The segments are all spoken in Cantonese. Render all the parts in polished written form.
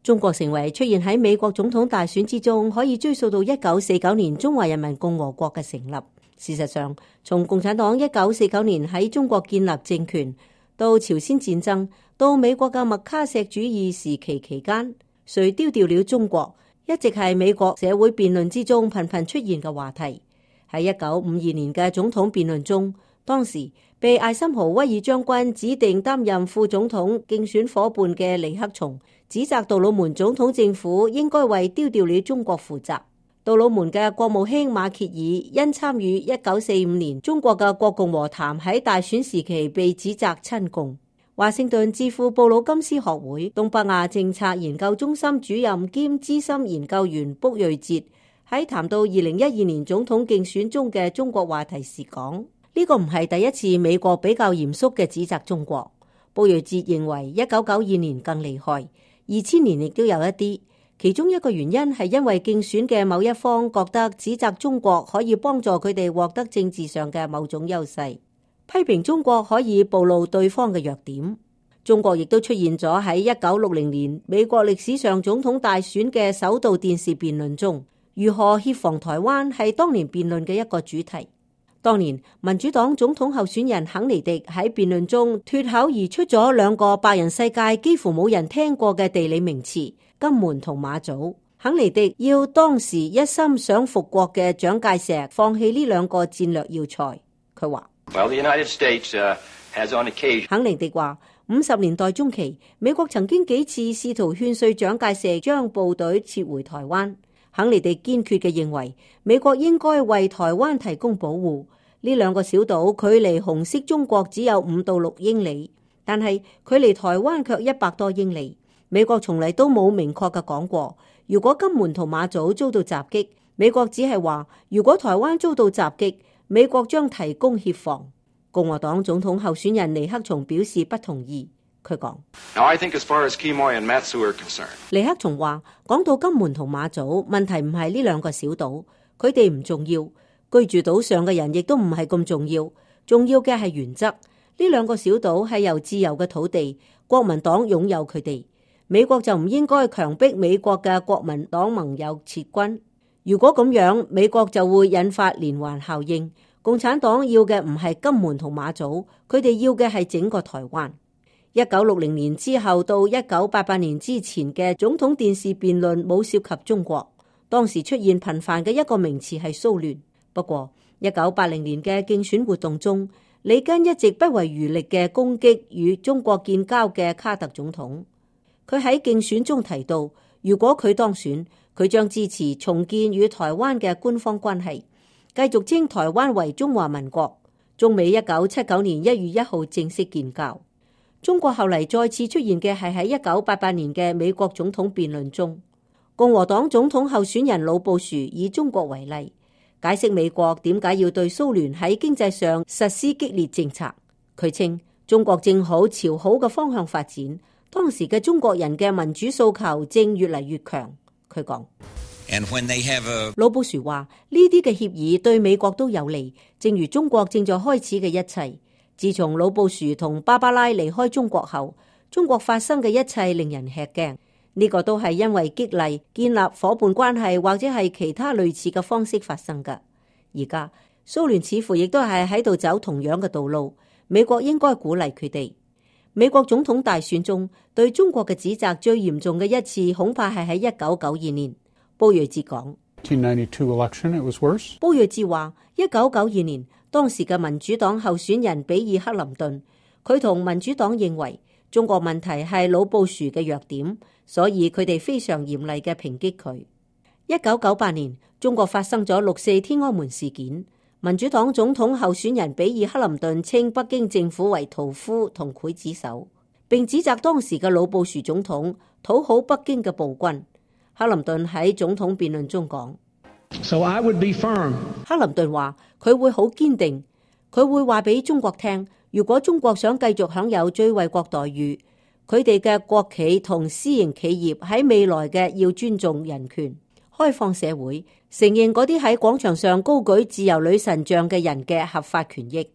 中國成為出現喺美國總統大選之中，可以追溯到1949年中華人民共和國嘅成立。事實上，從共產黨1949年喺中國建立政權，到朝鮮戰爭，到美國嘅麥卡錫主義時期期間，誰丟掉了中國，一直係美國社會辯論之中頻頻出現嘅話題。喺1952年嘅總統辯論中，當時被艾森豪威爾將軍指定擔任副總統競選夥伴嘅尼克松，指責杜魯門總統政府應該為丟掉了中國負責。杜魯門嘅國務卿馬歇爾因參與1945年中國嘅國共和談喺大選時期被指責親共。華盛頓智庫布魯金斯學會東北亞政策研究中心主任兼資深研究員卜瑞哲喺談到2012年總統競選中嘅中國話題時講：呢個唔係第一次美國比較嚴肅嘅指責中國。卜瑞哲認為1992年更厲害，2000年亦都有一啲。其中一個原因係因為競選嘅某一方覺得指責中國可以幫助佢哋獲得政治上嘅某種優勢，批評中國可以暴露對方嘅弱點。中國亦都出現咗喺1960年美國歷史上總統大選嘅首度電視辯論中，如何協防台灣係當年辯論嘅一個主題。當年民主黨總統候選人肯尼迪喺辯論中脫口而出咗兩個白人世界幾乎冇人聽過嘅地理名詞：金門同馬祖。肯尼迪要當時一心想復國嘅蔣介石放棄呢兩個戰略要塞。佢話肯尼迪話50年代中期，美國曾經幾次試圖勸說蔣介石將部隊撤回台灣。肯尼迪堅決嘅認為，美國應該為台灣提供保護。呢兩個小島距離紅色中國只有5到6英里，但係距離台灣卻100多英里。美國從嚟都冇明確嘅講過，如果金門同馬祖遭到襲擊，美國只係話如果台灣遭到襲擊，美國將提供協防。共和黨總統候選人尼克松表示不同意。佢講：尼克松話，講到金門同馬祖，問題唔係呢兩個小島，佢哋唔重要，居住島上嘅人亦都唔係咁重要，重要嘅係原則。呢兩個小島係由自由嘅土地，國民黨擁有佢哋，美國就唔應該強迫美國嘅國民黨盟友撤軍。如果咁樣，美國就會引發連環效應。共產黨要嘅唔係金門同馬祖，佢哋要嘅係整個台灣。1960年之後到1988年之前嘅總統電視辯論冇涉及中國，當時出現頻繁嘅一個名詞係騷亂。不過1980年嘅競選活動中，里根一直不遺餘力嘅攻擊與中國建交嘅卡特總統。佢喺競選中提到，如果佢當選，佢將支持重建與台灣嘅官方關係，繼續稱台灣為中華民國。中美1979年1月1號正式建交。中國後嚟再次出現嘅係喺1988年嘅美國總統辯論中，共和黨總統候選人老布殊以中國為例，解釋美國點解要對蘇聯喺經濟上實施激烈政策。佢稱中國正好朝好嘅方向發展，當時嘅中國人嘅民主訴求正越嚟越強。佢講。老布殊話呢啲嘅協議對美國都有利，正如中國正在開始嘅一切。自從老布殊同芭芭拉離開中國後，中國發生嘅一切令人吃驚。呢個都係因為激勵、建立夥伴關係或者係其他類似嘅方式發生㗎。而家蘇聯似乎亦都係喺度走同樣嘅道路，美國應該鼓勵佢哋。美國總統大選中對中國嘅指責最嚴重嘅一次，恐怕係喺1992年。布瑞哲講，布瑞哲話1992年當時嘅民主黨候選人比爾克林頓，佢同民主黨認為中國問題係老布殊嘅弱點，所以佢哋非常嚴厲嘅抨擊佢。1998年中國發生咗6.4天安門事件，民主黨總統候選人比爾克林頓稱北京政府為屠夫同劊子手，並指責當時嘅老布殊總統討好北京嘅暴君。克林頓喺總統辯論中講，克林頓話佢會好堅定，佢會話俾中國聽，如果中國想繼續享有最惠國待遇，佢哋嘅國企同私營企業喺未來嘅要尊重人權、開放社會，承認嗰啲喺廣場上高舉自由女神像嘅人嘅合法權益。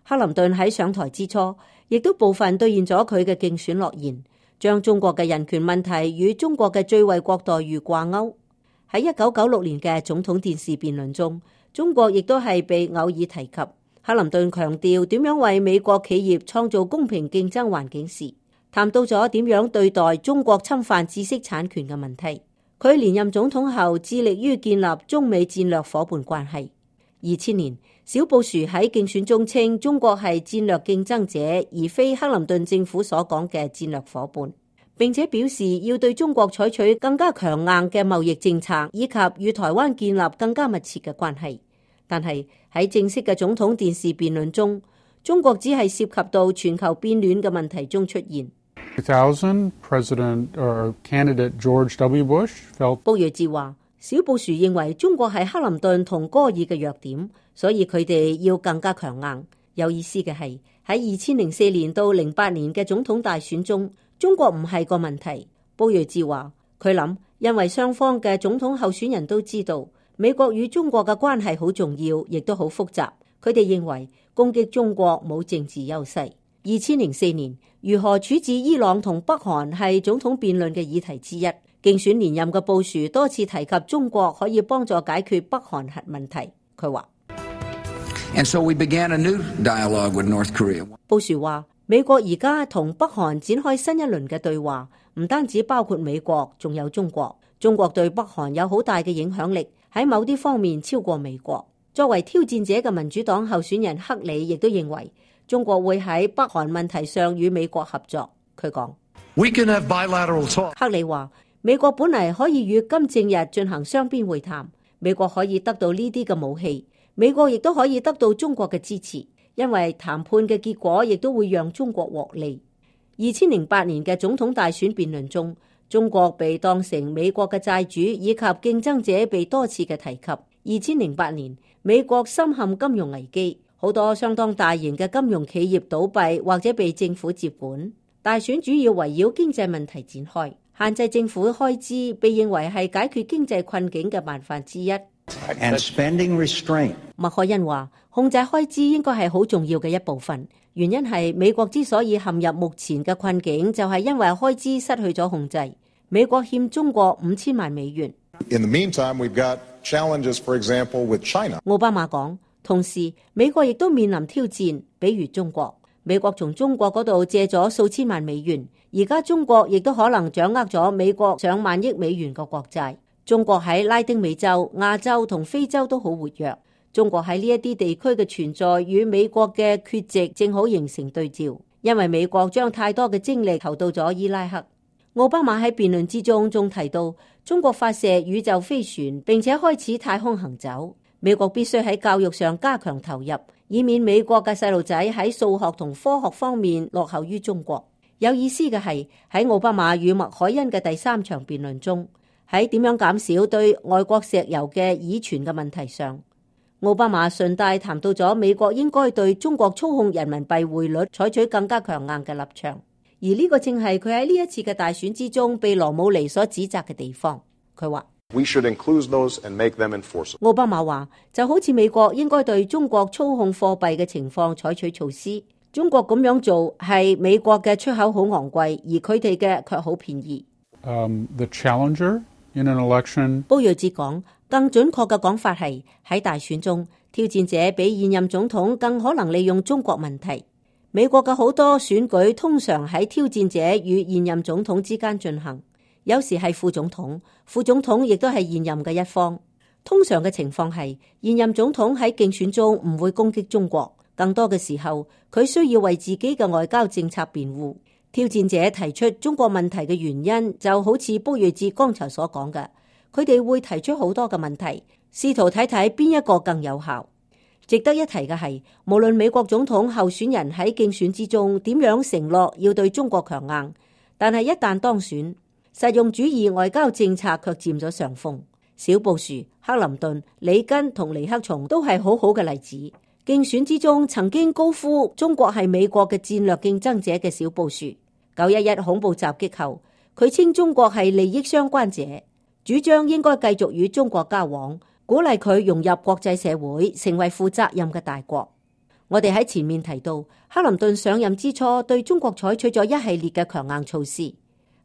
克林頓喺上台之初，亦都部分兌現咗佢嘅競選諾言。將中國嘅人權問題與中國嘅最惠國待遇掛鈎。喺1996年嘅總統電視辯論中，中國亦都係被偶爾提及。克林頓強調點樣為美國企業創造公平競爭環境時，談到咗點樣對待中國侵犯知識產權嘅問題。佢連任總統後，致力於建立中美戰略夥伴關係。2000年，小布殊喺競選中稱中國係戰略競爭者，而非克林頓政府所講嘅戰略夥伴，並且表示要對中國採取更加強硬嘅貿易政策，以及與台灣建立更加密切嘅關係。但係喺正式嘅總統電視辯論中，中國只係涉及到全球變暖嘅問題中出現。Candidate George W. Bush felt 布瑞治話，小布殊認為中國係克林頓同戈爾嘅弱點，所以佢哋要更加強硬。有意思嘅係喺2004年到08年嘅總統大選中，中國唔係個問題。布瑞治話，佢諗因為雙方嘅總統候選人都知道美國與中國嘅關係好重要，亦都好複雜。佢哋認為攻擊中國冇政治優勢。2004年，如何處置伊朗同北韓係總統辯論嘅議題之一。競選連任嘅布殊多次提及中國可以幫助解決北韓核問題。佢話And so we began a new dialogue with North Korea. 布殊話，美國而家同北韓展開新一輪嘅對話，唔單止包括美國，仲有中國。中國對北韓有好大嘅影響力，喺某啲方面超過美國。作為挑戰者嘅民主黨候選人克里亦都認為中國會喺北韓問題上與美國合作。佢講We can have bilateral talk. 克里話，美國本嚟可以與金正日進行雙邊會談，美國可以得到呢啲嘅武器，美國亦都可以得到中國嘅支持，因為談判嘅結果亦都會讓中國獲利。2008年嘅總統大選辯論中，中國被當成美國嘅債主以及競爭者被多次嘅提及。2008年，美國深陷金融危機，好多相當大型嘅金融企業倒閉或者被政府接管。大選主要圍繞經濟問題展開，限制政府開支被認為係解決經濟困境嘅辦法之一。And spending restraint. 麥凱恩話，控制開支應該係好重要嘅一部分，原因係美國之所以陷入目前嘅困境，就係因為開支失去咗控制。美國欠中國5000萬美元。In the meantime, we've got challenges, for example, with China. 奧巴馬講，同時美國亦都面臨挑戰，比如中國。美國從中國嗰度借咗數千萬美元，而家中國亦都可能掌握咗美國上萬億美元嘅國債。中國喺拉丁美洲、亞洲同非洲都好活躍。中國喺呢一啲地區嘅存在與美國嘅缺席正好形成對照，因為美國將太多嘅精力投到咗伊拉克。奧巴馬喺辯論之中仲提到，中國發射宇宙飛船並且開始太空行走，美國必須喺教育上加強投入，以免美國嘅細路仔喺數學同科學方面落後於中國。有意思嘅係喺奧巴馬與麥凱恩嘅第3場辯論中，喺點樣減少對外國石油嘅依存嘅問題上，奧巴馬順帶談到咗美國應該對中國操控人民幣匯率採取更加強硬嘅立場。而呢個正係佢喺呢一次嘅大選之中被羅姆尼所指責嘅地方。佢話We should include those and make them enforceable. 奧巴馬話就好似美國應該對中國操控貨幣嘅情況採取措施。中國咁樣做係美國嘅出口好昂貴，而佢哋嘅卻好便宜。The challenger in an election. 布瑞哲講，更準確嘅講法係喺大選中，挑戰者比現任總統更可能利用中國問題。美國嘅好多選舉通常喺挑戰者與現任總統之間進行，有時係副總統，副總統亦都係現任嘅一方。通常嘅情況係現任總統喺競選中唔會攻擊中國，更多嘅時候佢需要為自己嘅外交政策辯護。挑戰者提出中國問題嘅原因，就好似卜睿哲剛才所講嘅，佢哋會提出好多嘅問題，試圖睇睇邊一個更有效。值得一提嘅係，無論美國總統候選人喺競選之中點樣承諾要對中國強硬，但係一旦當選，實用主義外交政策卻佔咗上風。小布殊、克林頓、里根同尼克松都係好好嘅例子。競選之中曾經高呼中國係美國嘅戰略競爭者嘅小布殊，911恐怖襲擊後，佢稱中國係利益相關者，主張應該繼續與中國交往，鼓勵佢融入國際社會，成為負責任嘅大國。我哋喺前面提到，克林頓上任之初對中國採取咗一系列嘅強硬措施。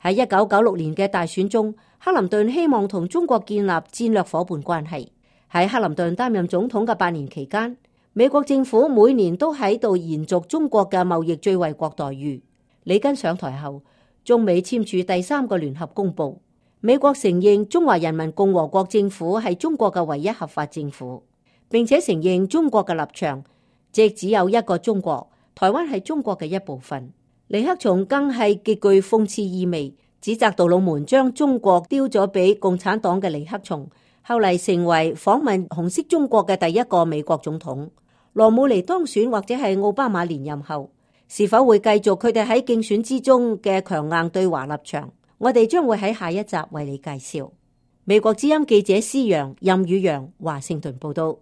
喺1996年嘅大選中，克林頓希望同中國建立戰略夥伴關係。喺克林頓擔任總統嘅8年期間，美國政府每年都喺度延續中國嘅貿易最惠國待遇。里根上台後，中美簽署第3個聯合公報，美國承認中華人民共和國政府係中國嘅唯一合法政府，並且承認中國嘅立場，即只有一個中國，台灣係中國嘅一部分。尼克松更係極具諷刺意味，指責杜魯門將中國丟咗俾共產黨嘅尼克松，後嚟成為訪問紅色中國嘅第一個美國總統。羅姆尼當選或者係奧巴馬連任後，是否會繼續佢哋喺競選之中嘅強硬對華立場？我哋將會喺下一集為你介紹。美國之音記者施陽、任宇陽華盛頓報道。